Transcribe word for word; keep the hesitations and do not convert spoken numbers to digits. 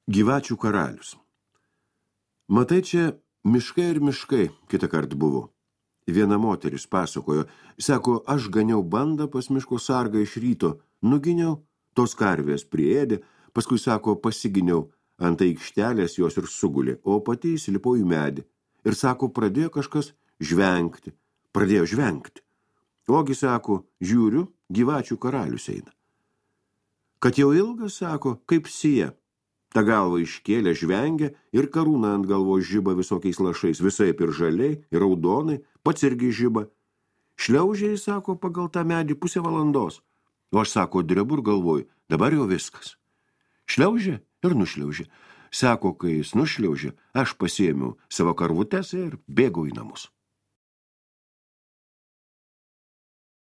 Gyvačių karalius. Matai, čia miškai ir miškai kitą kartą buvo. Viena moteris pasakojo, sako, aš ganiau bandą pas miško sargą iš ryto, nuginiau, tos karvės priėdė, paskui, sako, pasiginiau, ant aikštelės jos ir sugulė, o pati įsilipau į medį. Ir, sako, pradėjo kažkas žvengti, pradėjo žvengti. Ogi, sako, žiūriu, gyvačių karalius eina. Kad jau ilgas, sako, kaip sija. Ta galva iškėlė žvengia ir karūna ant galvos žiba visokiais lašais, visaip ir žaliai, ir raudonai, pats irgi žiba. Šliaužiai, sako, pagal tą medį pusę valandos. O aš, sako, drebu ir galvoju, dabar jau viskas. Šliaužė ir nušliaužė. Sako, kai jis nušliaužė, aš pasiėmiau savo karvutes ir bėgau į namus.